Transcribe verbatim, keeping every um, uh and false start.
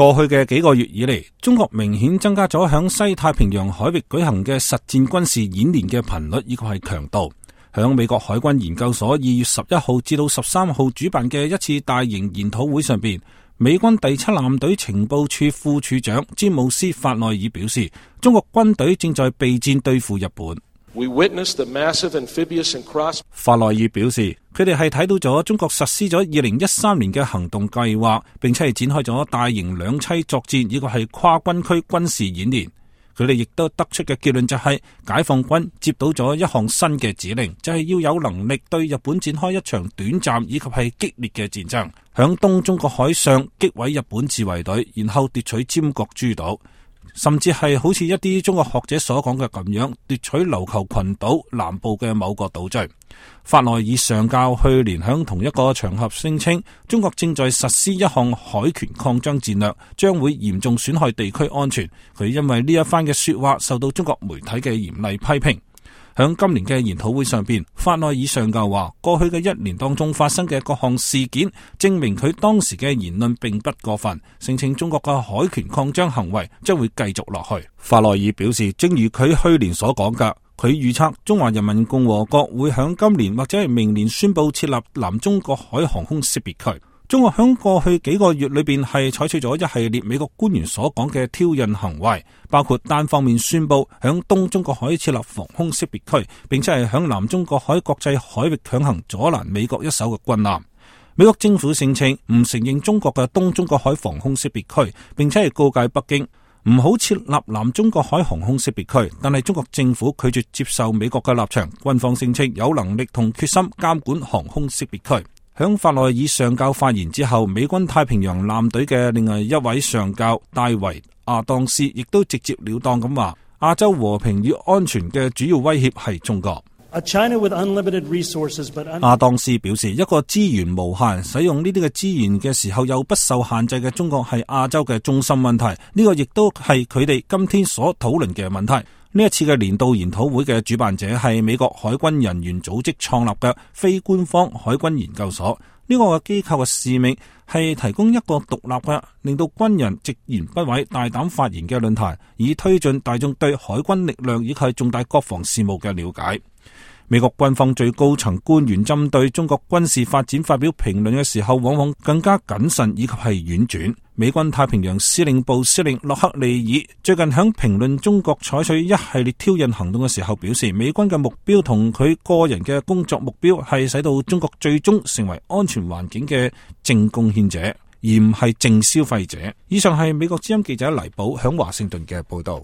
過去嘅幾個月以嚟，中國明顯增加咗響西太平洋海域舉行嘅實戰軍事演練嘅頻率，以及係強度。響美國海軍研究所二月十一號至到十三號主辦嘅一次大型研討會上邊，美軍第七艦隊情報處副處長詹姆斯·法內爾表示，中國軍隊正在備戰對付日本。We witnessed the massive amphibious and cross... 法內爾表示，佢哋係睇到咗中國實施咗二零一三年嘅行動計劃，並且係展開咗大型兩棲作戰，呢個係跨軍區軍事演練。佢哋亦都得出嘅結論就係，解放軍接到咗一項新嘅指令，就係要有能力對日本展開一場短暫以及係激烈嘅戰爭，響東中國海上擊毀日本自衛隊，然後奪取尖閣諸島。甚至係好似一啲中國學者所講嘅咁樣，奪取琉球群島南部嘅某個島嶼。法內爾上校去年響同一個場合聲稱，中國正在實施一項海權擴張戰略，將會嚴重損害地區安全。佢因為呢一番嘅說話受到中國媒體嘅嚴厲批評。響今年嘅研討會上邊，法內爾上校話，過去嘅一年當中發生嘅各項事件，證明佢當時嘅言論並不過分，聲稱中國嘅海權擴張行為將會繼續落去。法內爾表示，正如佢去年所講嘅，佢預測中華人民共和國會響今年或者係明年宣布設立南中國海航空識別區。中國響過去幾個月裏邊係採取咗一系列美國官員所講嘅挑釁行為，包括單方面宣布響東中國海設立防空識別區，並且係響南中國海國際海域強行阻攔美國一艘嘅軍艦。美國政府聲稱唔承認中國嘅東中國海防空識別區，並且係告誡北京唔好設立南中國海航空識別區，但係中國政府拒絕接受美國嘅立場，軍方聲稱有能力同決心監管航空識別區。響法內爾上校發言之後，美軍太平洋艦隊嘅另外一位上校戴維亞當斯亦都直接了當咁話，亞洲和平與安全嘅主要威脅係中國。亞當斯表示，一個資源無限、使用呢啲嘅資源嘅時候又不受限制嘅中國係亞洲嘅中心問題，呢個亦都係佢哋今天所討論嘅問題。呢一次嘅年度研討會嘅主辦者係美國海軍人員組織創立嘅非官方海軍研究所。呢個嘅機構嘅使命係提供一個獨立嘅，令到軍人直言不諱、大膽發言嘅論壇，以推進大眾對海軍力量以及重大國防事務嘅了解。美國軍方最高層官員針對中國軍事發展發表評論嘅時候，往往更加謹慎以及係婉轉。美軍太平洋司令部司令洛克利爾最近響評論中國採取一系列挑釁行動嘅時候表示，美軍嘅目標同佢個人嘅工作目標係使到中國最終成為安全環境嘅正貢獻者，而唔係正消費者。以上係美國之音記者黎寶響華盛頓嘅報道。